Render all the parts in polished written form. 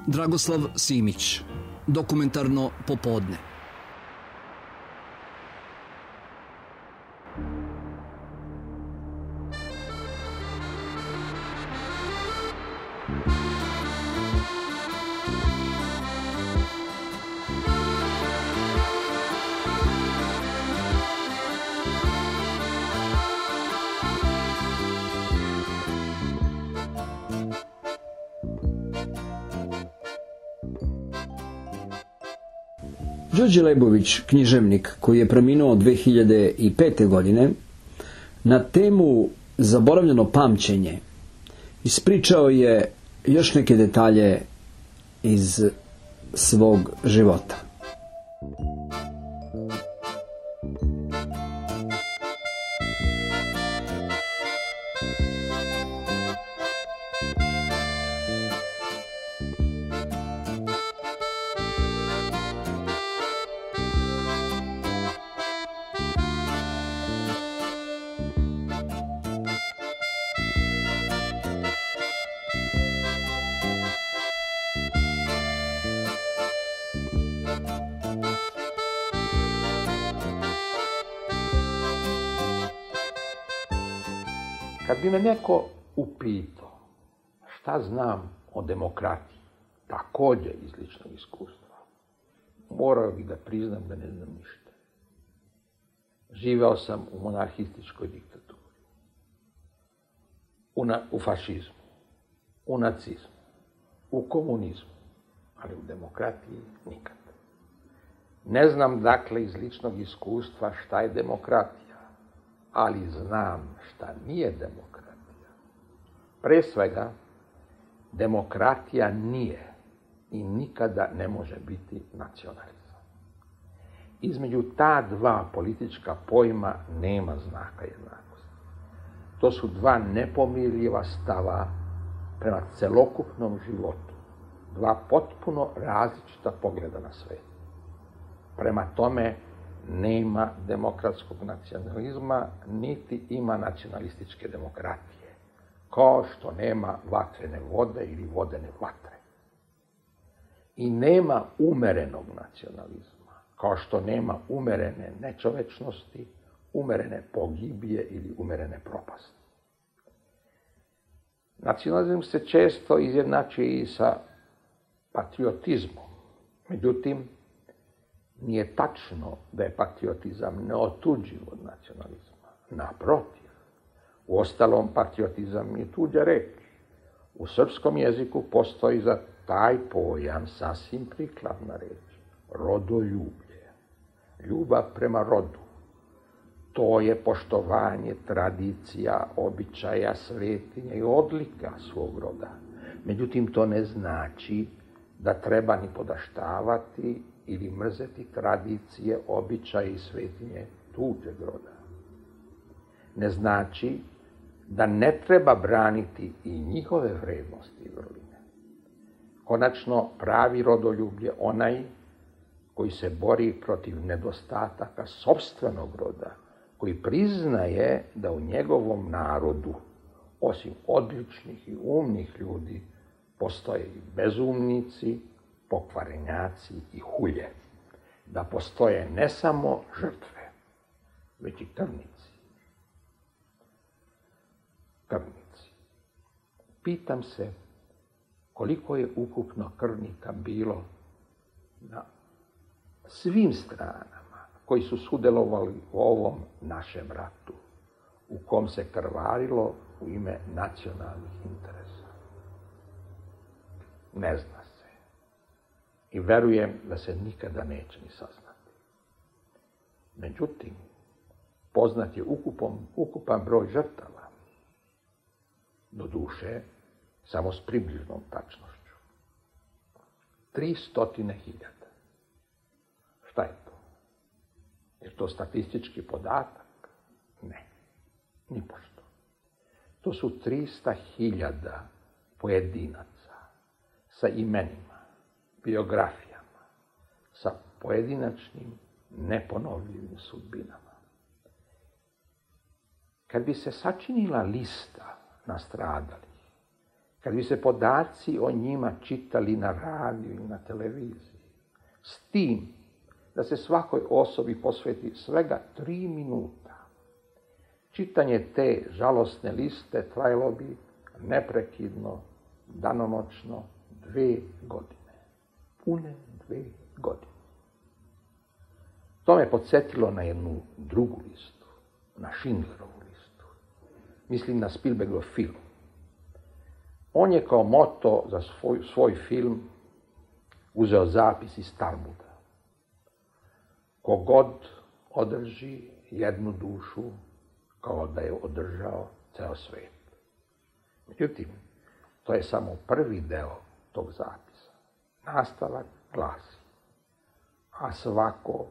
Dragoslav Simić, Dokumentarno popodne. Đorđe Lebović, književnik koji je preminuo 2005. godine, na temu Zaboravljeno pamćenje ispričao je još neke detalje iz svog života. Kad bi me neko upitao šta znam o demokratiji, također iz ličnog iskustva, morao bih da priznam da ne znam ništa. Živeo sam u monarhističkoj diktaturi, u fašizmu, u nacizmu, u komunizmu, ali u demokratiji nikad. Ne znam dakle iz ličnog iskustva šta je demokratija, ali znam šta nije demokratija. Pre svega, demokratija nije i nikada ne može biti nacionalizam. Između ta dva politička pojma nema znaka jednakosti. To su dva nepomirljiva stava prema celokupnom životu, dva potpuno različita pogleda na svet. Prema tome, nema demokratskog nacionalizma, niti ima nacionalističke demokratije, kao što nema vatrene vode ili vodene vatre. I nema umerenog nacionalizma, kao što nema umerene nečovečnosti, umerene pogibije ili umerene propasti. Nacionalizam se često izjednačuje i sa patriotizmom. Međutim, nije tačno da je patriotizam neotuđiv od nacionalizma. Naprotiv, uostalom patriotizam je tuđa reč. U srpskom jeziku postoji za taj pojam sasvim prikladna reč. Rodoljublje. Ljubav prema rodu. To je poštovanje tradicija, običaja, svetinja i odlika svog roda. Međutim, to ne znači da treba ni podaštavati ili mrzeti tradicije, običaje i svetinje tuđeg roda. Ne znači da ne treba braniti i njihove vrednosti i vrline. Konačno, pravi rodoljub je onaj koji se bori protiv nedostataka sopstvenog roda, koji priznaje da u njegovom narodu, osim odličnih i umnih ljudi, postoje i bezumnici, pokvarenjaci i hulje. Da postoje ne samo žrtve, već i krvnici. Krvnici. Pitam se koliko je ukupno krvnika bilo na svim stranama koji su sudjelovali u ovom našem ratu, u kom se krvarilo u ime nacionalnih interesa. Ne zna se. I verujem da se nikada neće ni saznati. Međutim, poznat je ukupan broj žrtava. Doduše, samo s približnom tačnošću. 300.000. Šta je to? Je to statistički podatak? Ne. Nipošto. To su 300.000 pojedinaca sa imenima, biografijama, sa pojedinačnim, neponovljivim sudbinama. Kad bi se sačinila lista nastradalih kad bi se podaci o njima čitali na radiju i na televiziji, s tim da se svakoj osobi posveti svega 3 minuta, čitanje te žalosne liste trajalo bi neprekidno, danonoćno 2 godine. Pune 2 godine. To me podsjetilo na jednu drugu listu, na Schindlerovu listu. Mislim na Spielbergov film. On je kao moto za svoj film uzeo zapis iz Talmuda. Kogod održi jednu dušu, kao da je održao ceo svet. Međutim, to je samo prvi deo tog zapisa. Nastavak glasi: a svako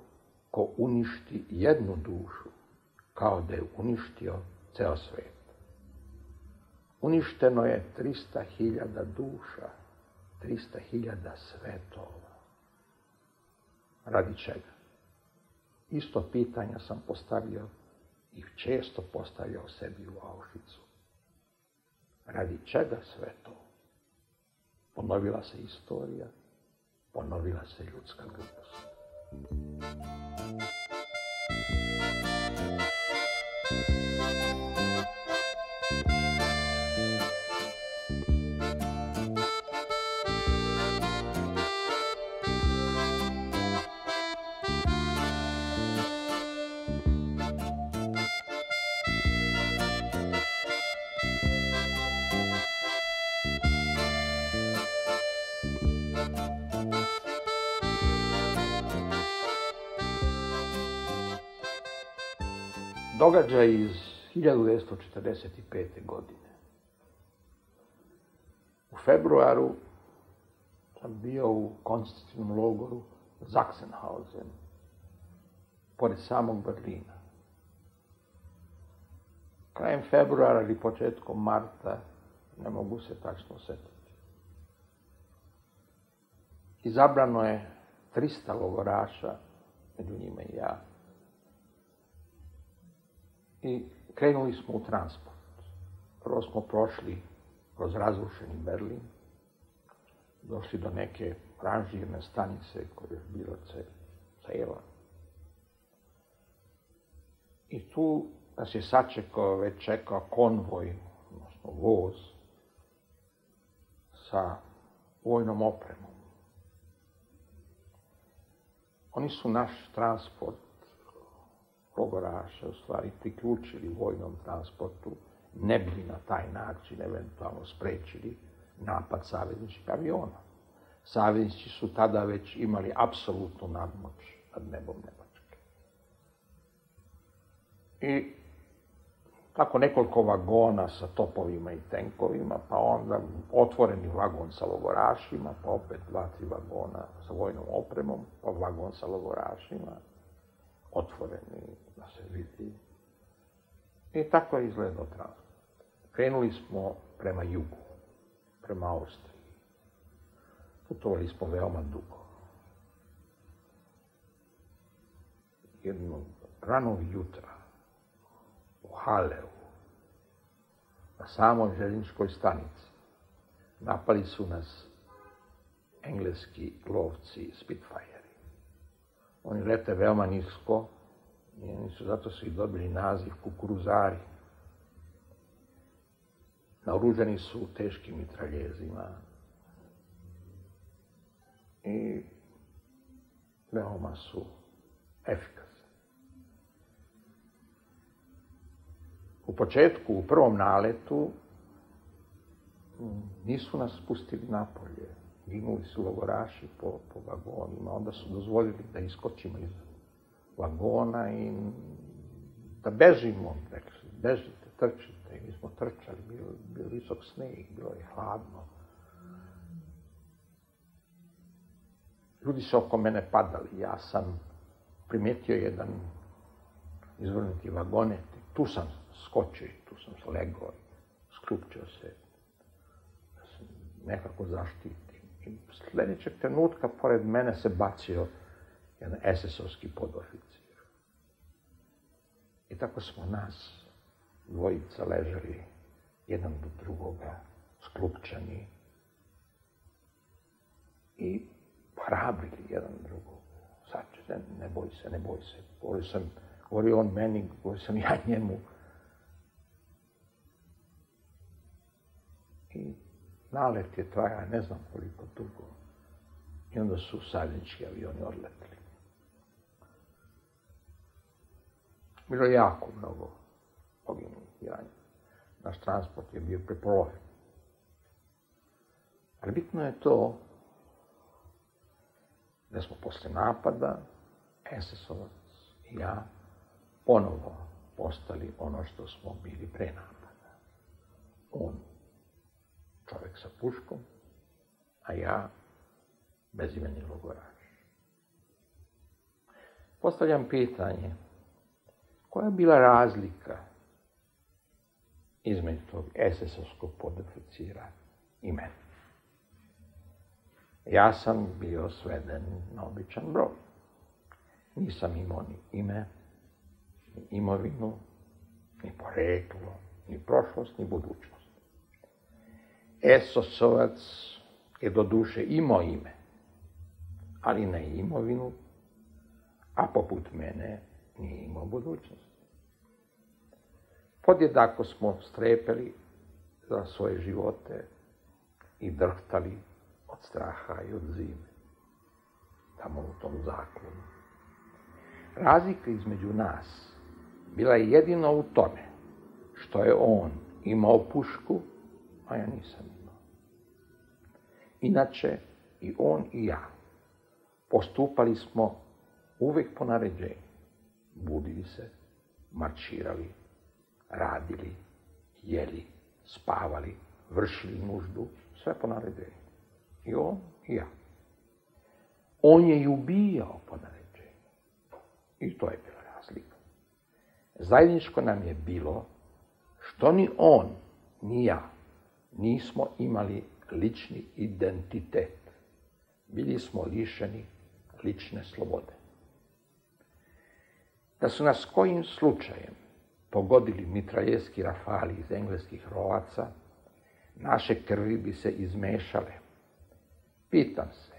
ko uništi jednu dušu, kao da je uništio ceo svet. Uništeno je 300.000 duša, 300.000 svetova. Radi čega? Isto pitanja sam postavio i često postavljao sebi u Auschwitzu. Radi čega sve to? Ponovila se istorija, ponovila se ljudska glupost. Događaj iz 1945. godine. U februaru sam bio u koncentracionom logoru Sachsenhausen, pored samog Berlina. Krajem februara ili početkom marta, ne mogu se tačno setiti. Izabrano je 300 logoraša, među njima i ja. I krenuli smo u transport. Prvo smo prošli kroz razrušeni Berlin, došli do neke ranžirne stanice koja je bila cela. I tu nas je već čekao konvoj, odnosno voz, sa vojnom opremom. Oni su naš transport logoraša u stvari priključili vojnom transportu, ne bi na taj način eventualno sprečili napad savezničkih aviona. Saveznici su tada već imali apsolutnu nadmoć nad nebom Nemačke. I tako nekoliko vagona sa topovima i tenkovima, pa onda otvoreni vagon sa logorašima, pa opet 2-3 vagona sa vojnom opremom, pa vagon sa logorašima, otvoreni da se vidi. I tako je izgledao transport. Krenuli smo prema jugu, prema Austriji. Putovali smo veoma dugo. Jednog ranog jutra u Haleu, na samoj željezničkoj stanici, napali su nas engleski lovci Spitfire. Oni lete veoma nisko i zato su i dobili naziv kukuruzari. Naoružani su teškim mitraljezima i veoma su efikasni. U početku, u prvom naletu, nisu nas pustili napolje. Ginuli su logoraši po vagonima, onda su dozvolili da iskočimo iz vagona i da bežimo. Rekli su, bežite, trčite. I mi smo trčali, bio visok sneg, bilo je hladno. Ljudi su oko mene padali. Ja sam primetio jedan izvrnuti vagonet. Tu sam skočio, tu sam se legao, sklupčio se, da se nekako zaštitim. I sljedećeg trenutka pored mene se bacio jedan SS-ovski podoficir. I tako smo nas dvojica ležali jedan do drugoga sklupčani i hrabrili jedan drugog. Sačekaj, ne boj se, ne boj se. Govorio on meni, govorio sam ja njemu. I nalet je traja ne znam koliko dugo. I onda su saveznički avioni odletili. Bilo je jako mnogo poginulih. Naš transport je bio prepolovljen. Ali bitno je to da smo posle napada, SS-ovac i ja, ponovo postali ono što smo bili pre napada. On, čovjek sa puškom, a ja, bezimeni logoraš. Postavljam pitanje, koja je bila razlika između tog SS-ovskog podoficira i mene? Ja sam bio sveden na običan broj. Nisam imao ni ime, ni imovinu, ni poreklo, ni prošlost, ni budućnost. SS-ovac je do duše imao ime, ali ne imovinu, a poput mene nije imao budućnost. Podjednako smo strepeli za svoje živote i drhtali od straha i od zime, tamo u tom zaklonu. Razlika između nas bila je jedino u tome što je on imao pušku, a ja nisam imao. Inače, i on i ja postupali smo uvek po naređenju. Budili se, marširali, radili, jeli, spavali, vršili nuždu, sve po naređenju. I on i ja. On je i ubijao po naređenju. I to je bila razlika. Zajedničko nam je bilo što ni on, ni ja nismo imali lični identitet. Bili smo lišeni lične slobode. Da su nas kojim slučajem pogodili mitraljezki rafali iz engleskih rovaca, naše krvi bi se izmešale. Pitam se,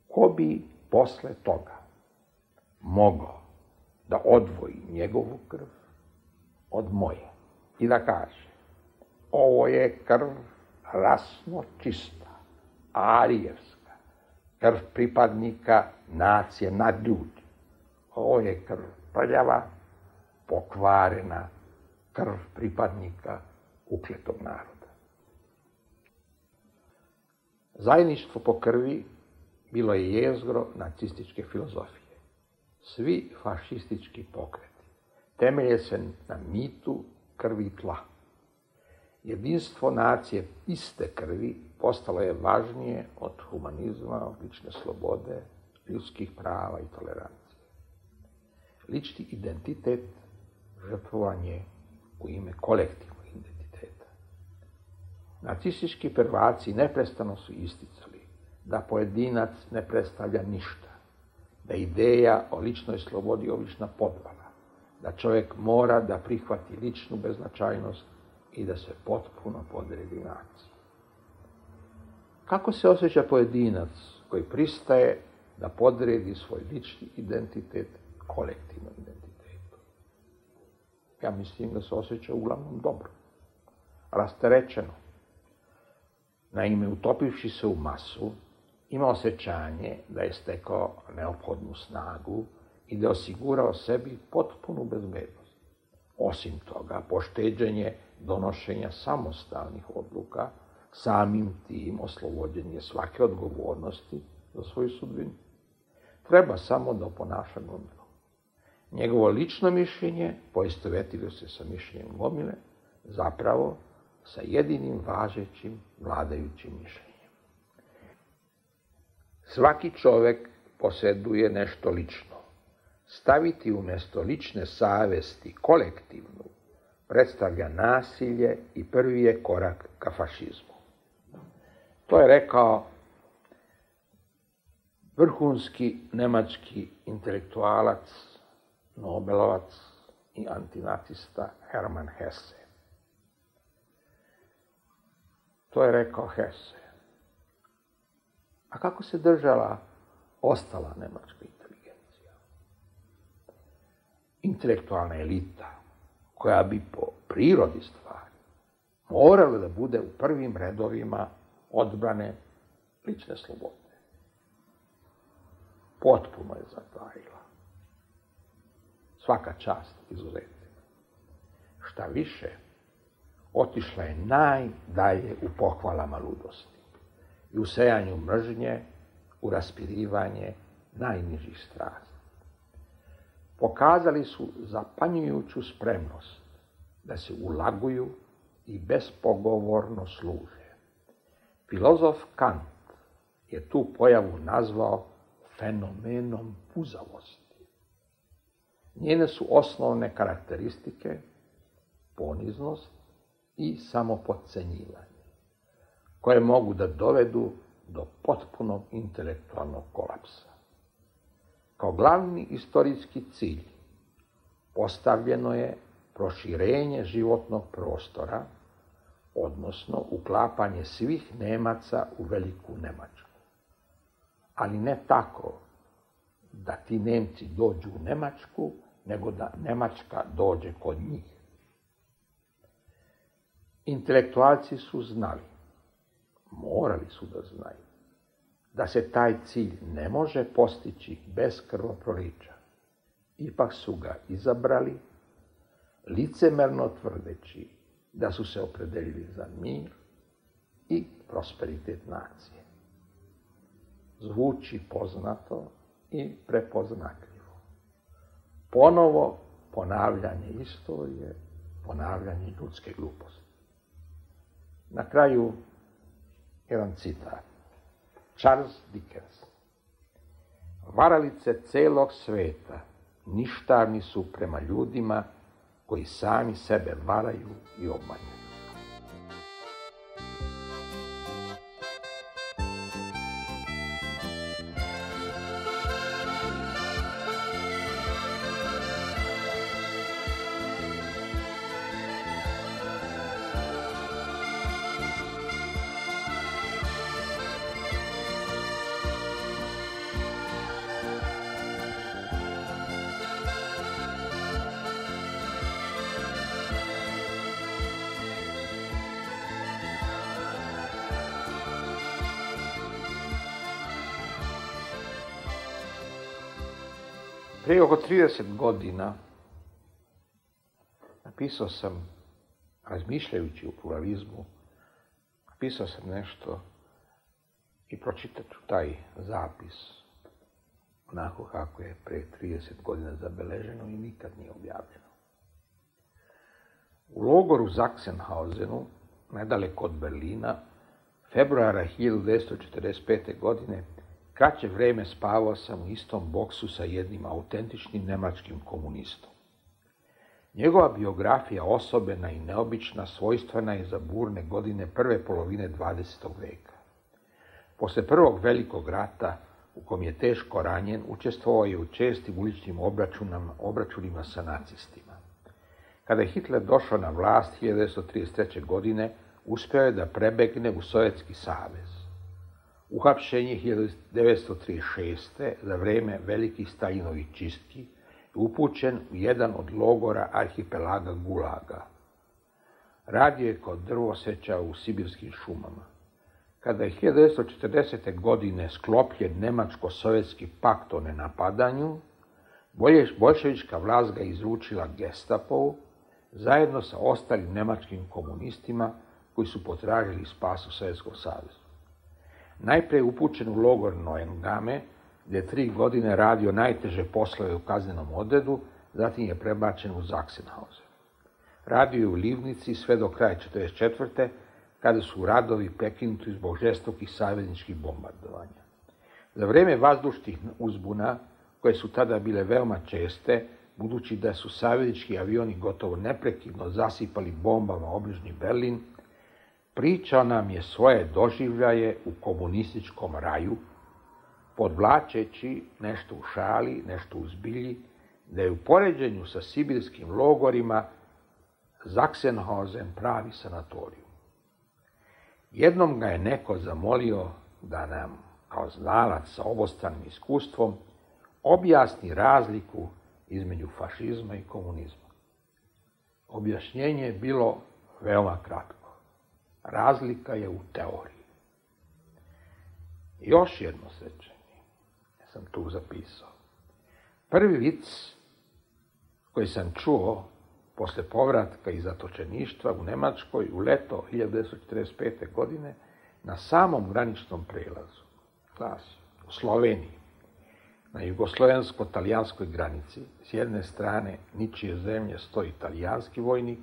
ko bi posle toga mogao da odvoji njegovu krv od moje i da kaže, ovo je krv rasno čista, arijevska, krv pripadnika nacije nadljudi. Ovo je krv prljava, pokvarena, krv pripadnika ukletog naroda. Zajedništvo po krvi bilo je jezgro nacističke filozofije. Svi fašistički pokreti temelje se na mitu krvi i tla. Jedinstvo nacije iste krvi postalo je važnije od humanizma, od lične slobode, ljudskih prava i tolerancije. Lični identitet žrtvovan je u ime kolektivnog identiteta. Nacistički prvaci neprestano su isticali da pojedinac ne predstavlja ništa, da ideja o ličnoj slobodi je obična podvala, da čovjek mora da prihvati ličnu beznačajnost i da se potpuno podredi naciji. Kako se osjeća pojedinac koji pristaje da podredi svoj lični identitet kolektivnom identitetu? Ja mislim da se osjeća uglavnom dobro, rasterećeno. Naime, utopivši se u masu, ima osjećanje da je stekao neophodnu snagu i da je osigurao sebi potpunu bezbednost. Osim toga, pošteđenje donošenja samostalnih odluka, samim tim oslobođenje svake odgovornosti za svoju sudbinu. Treba samo da oponaša gomilu. Njegovo lično mišljenje poistovetilo se sa mišljenjem gomile, zapravo sa jedinim važećim vladajućim mišljenjem. Svaki čovek posjeduje nešto lično. Staviti umjesto lične savesti kolektivnu predstavlja nasilje i prvi je korak ka fašizmu. To je rekao vrhunski nemački intelektualac, nobelovac i antinacista Hermann Hesse. To je rekao Hesse. A kako se držala ostala nemačka inteligencija? Intelektualna elita, koja bi po prirodi stvari morala da bude u prvim redovima odbrane lične slobode. Potpuno je zatajila. Svaka čast izuzetcima. Šta više, otišla je najdalje u pohvalama ludosti i u sejanju mržnje, u raspirivanje najnižih strasti. Pokazali su zapanjujuću spremnost da se ulaguju i bespogovorno služe. Filozof Kant je tu pojavu nazvao fenomenom puzavosti. Njene su osnovne karakteristike poniznost i samopodcenjivanje, koje mogu da dovedu do potpunog intelektualnog kolapsa. Kao glavni istorijski cilj postavljeno je proširenje životnog prostora, odnosno uklapanje svih Nemaca u veliku Nemačku. Ali ne tako da ti Nemci dođu u Nemačku, nego da Nemačka dođe kod njih. Intelektualci su znali, morali su da znaju, da se taj cilj ne može postići bez krvoprolića. Ipak su ga izabrali, licemerno tvrdeći da su se opredelili za mir i prosperitet nacije. Zvuči poznato i prepoznatljivo. Ponovo ponavljanje istorije, ponavljanje ljudske gluposti. Na kraju jedan citat. Charles Dickens. Varalice celog sveta ništavni su prema ljudima koji sami sebe varaju i obmanjuju. Prije oko 30 godina napisao sam, razmišljajući o pluralizmu, napisao sam nešto i pročitat ću taj zapis onako kako je pre 30 godina zabeleženo i nikad nije objavljeno. U logoru Sachsenhausenu, nedaleko od Berlina, februara 1945. godine, kraće vreme spavao sam u istom boksu sa jednim autentičnim nemačkim komunistom. Njegova biografija osobena i neobična svojstvena je za burne godine prve polovine 20. veka. Posle prvog velikog rata, u kom je teško ranjen, učestvovao je u čestim uličnim obračunima sa nacistima. Kada je Hitler došao na vlast 1933. godine, uspeo je da prebegne u Sovjetski savez. Uhapšen je 1936. za vreme velikih Stalinovih čistki i upućen u jedan od logora arhipelaga Gulaga. Radio je kao drvoseča u sibirskim šumama. Kada je 1940. godine sklopljen Nemačko-sovjetski pakt o nenapadanju, boljševička vlast ga izručila Gestapovu zajedno sa ostalim nemačkim komunistima koji su potražili spas u Sovjetskom savezu. Najpre je upućen u logor Neuengamme, gdje je 3 godine radio najteže poslove u kaznenom odredu, zatim je prebačen u Sachsenhausen. Radio je u Livnici sve do kraja 1944. kada su radovi prekinuti zbog žestokih savezničkih bombardovanja. Za vreme vazdušnih uzbuna, koje su tada bile veoma česte, budući da su saveznički avioni gotovo neprekidno zasipali bombama obližnji Berlin, pričao nam je svoje doživljaje u komunističkom raju, podvlačeći nešto u šali, nešto u zbilji, da je u poređenju sa sibirskim logorima Sachsenhausen pravi sanatorij. Jednom ga je neko zamolio da nam, kao znalac sa obostranim iskustvom, objasni razliku između fašizma i komunizma. Objašnjenje je bilo veoma kratko. Razlika je u teoriji. Još jedno sećanje, sam tu zapisao. Prvi vic koji sam čuo posle povratka iz zatočeništva u Nemačkoj u leto 1945. godine na samom graničnom prelazu, glasi, u Sloveniji, na jugoslovensko-talijanskoj granici, s jedne strane ničije zemlje stoji talijanski vojnik,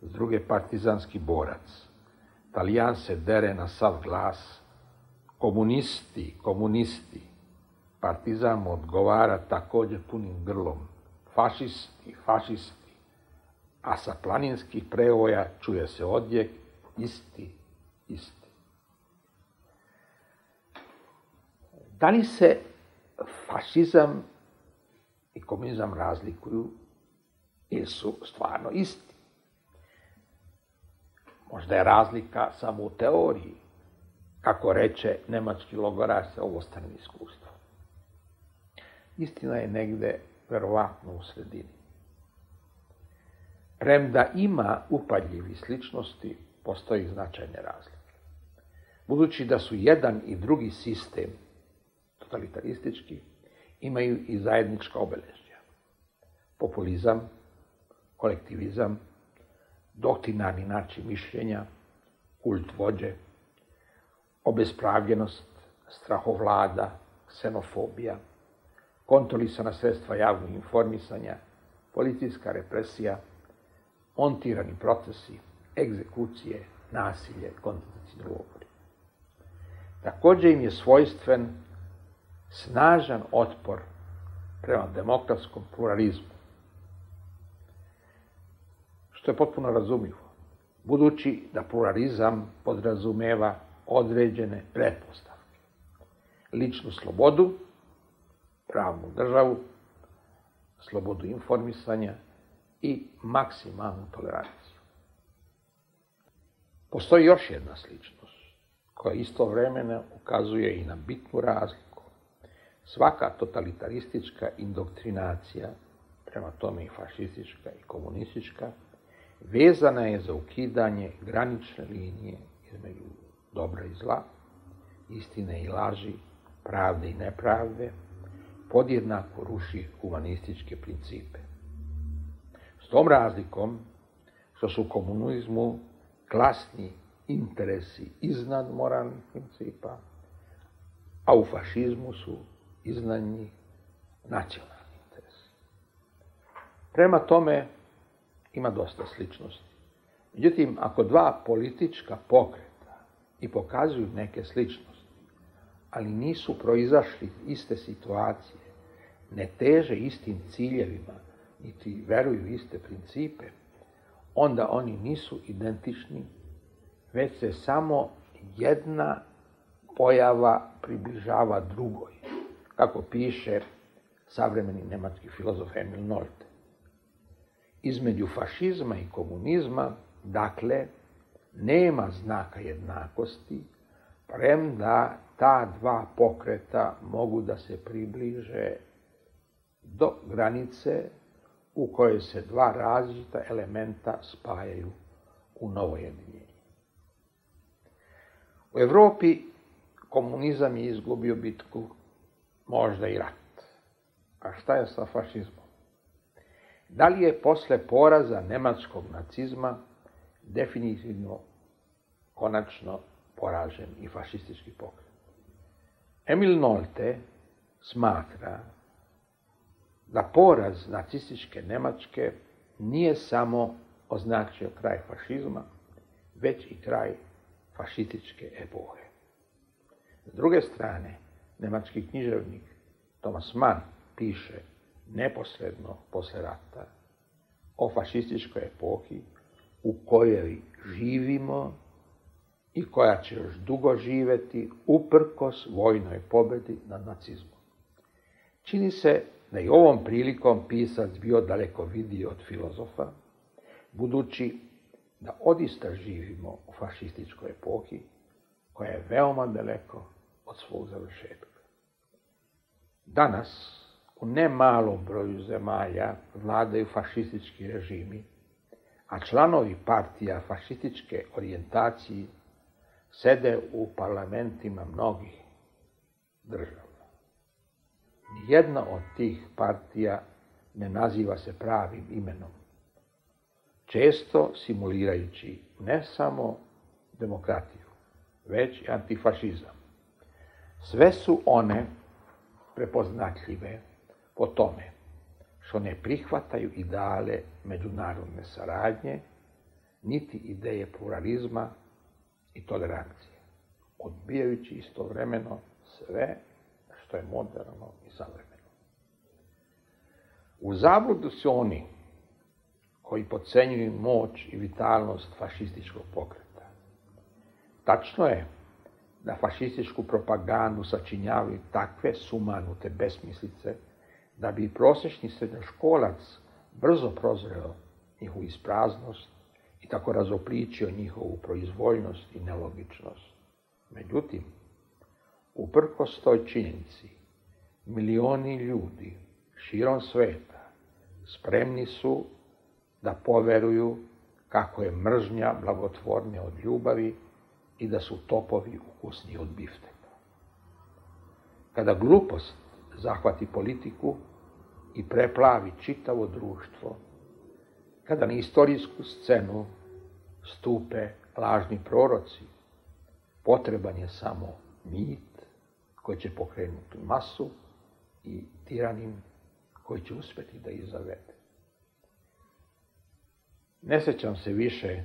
s druge partizanski borac. Talijan se dere na sav glas, komunisti. Partizan mu odgovara također punim grlom, fašisti. A sa planinskih prevoja čuje se odjek, isti. Da li se fašizam i komunizam razlikuju ili su stvarno isti? Možda je razlika samo u teoriji, kako reče nemački logoraš sa obostranim iskustvom. Istina je negde verovatno u sredini. Premda ima upadljivi sličnosti, postoji značajne razlike. Budući da su jedan i drugi sistem totalitaristički, imaju i zajednička obeležja. Populizam, kolektivizam, doktrinarni način mišljenja, kult vođe, obespravljenost, strahovlada, ksenofobija, kontrolisana sredstva javnog informisanja, policijska represija, montirani procesi, egzekucije, nasilje, koncentracioni logori. Također im je svojstven snažan otpor prema demokratskom pluralizmu, što je potpuno razumljivo, budući da pluralizam podrazumeva određene pretpostavke. Ličnu slobodu, pravnu državu, slobodu informisanja i maksimalnu toleranciju. Postoji još jedna sličnost, koja istovremeno ukazuje i na bitnu razliku. Svaka totalitaristička indoktrinacija, prema tome i fašistička i komunistička, vezana je za ukidanje granične linije između dobra i zla, istine i laži, pravde i nepravde, podjednako ruši humanističke principe. S tom razlikom što su u komunizmu klasni interesi iznad moralnih principa, a u fašizmu su iznad njih nacionalni interesi. Prema tome ima dosta sličnosti. Međutim, ako dva politička pokreta i pokazuju neke sličnosti, ali nisu proizašli iste situacije, ne teže istim ciljevima, niti veruju iste principe, onda oni nisu identični, već se samo jedna pojava približava drugoj, kako piše savremeni nemački filozof Emil Nolte. Između fašizma i komunizma, dakle, nema znaka jednakosti, premda ta dva pokreta mogu da se približe do granice u kojoj se dva različita elementa spajaju u novo jedinjenje. U Evropi komunizam je izgubio bitku, možda i rat. A šta je sa fašizmom? Da li je posle poraza nemačkog nacizma definitivno, konačno poražen i fašistički pokret? Emil Nolte smatra da poraz nacističke Nemačke nije samo označio kraj fašizma, već i kraj fašističke epohe. S druge strane, nemački književnik Thomas Mann piše neposredno posle rata o fašističkoj epohi u kojoj živimo i koja će još dugo živeti uprkos vojnoj pobedi nad nacizmom. Čini se da je ovom prilikom pisac bio daleko vidiji od filozofa, budući da odista živimo u fašističkoj epohi koja je veoma daleko od svog završetka. Danas u nemalom broju zemalja vladaju fašistički režimi, a članovi partija fašističke orijentacije sede u parlamentima mnogih država. Nijedna od tih partija ne naziva se pravim imenom, često simulirajući ne samo demokratiju, već i antifašizam. Sve su one prepoznatljive po tome što ne prihvataju ideale međunarodne saradnje, niti ideje pluralizma i tolerancije, odbijajući istovremeno sve što je moderno i savremeno. U zabludu su oni koji podcenjuju moć i vitalnost fašističkog pokreta. Tačno je da fašističku propagandu sačinjavaju takve sumanute besmislice da bi prosječni srednjoškolac brzo prozreo njihovu ispraznost i tako razopličio njihovu proizvoljnost i nelogičnost. Međutim, uprkos toj činjenici, milioni ljudi širom sveta spremni su da poveruju kako je mržnja blagotvornija od ljubavi i da su topovi ukusniji od bifteka. Kada glupost zahvati politiku i preplavi čitavo društvo, kada na istorijsku scenu stupe lažni proroci, potreban je samo mit koji će pokrenuti masu i tiranin koji će uspjeti da ih zavede. Ne sjećam se više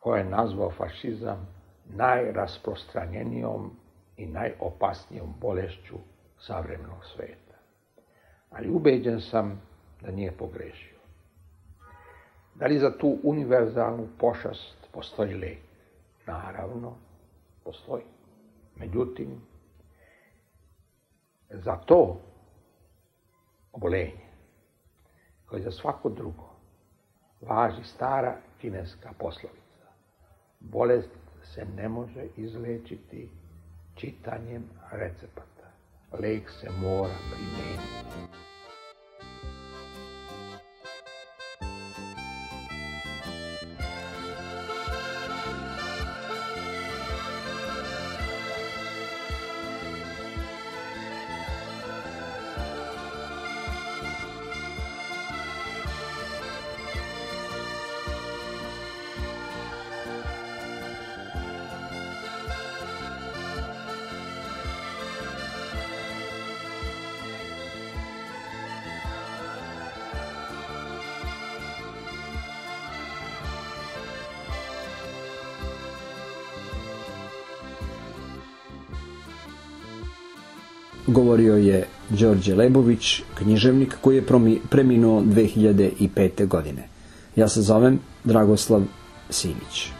ko je nazvao fašizam najrasprostranjenijom i najopasnijom bolešću savremenog sveta. Ali ubeđen sam da nije pogrešio. Da li za tu univerzalnu pošast postoji lek? Naravno, postoji. Međutim, za to obolenje, koje za svako drugo, važi stara kineska poslovica. Bolest se ne može izlečiti čitanjem recepata. Lek se mora primijeniti. Govorio je Đorđe Lebović, književnik koji je preminuo 2005. godine. Ja se zovem Dragoslav Simić.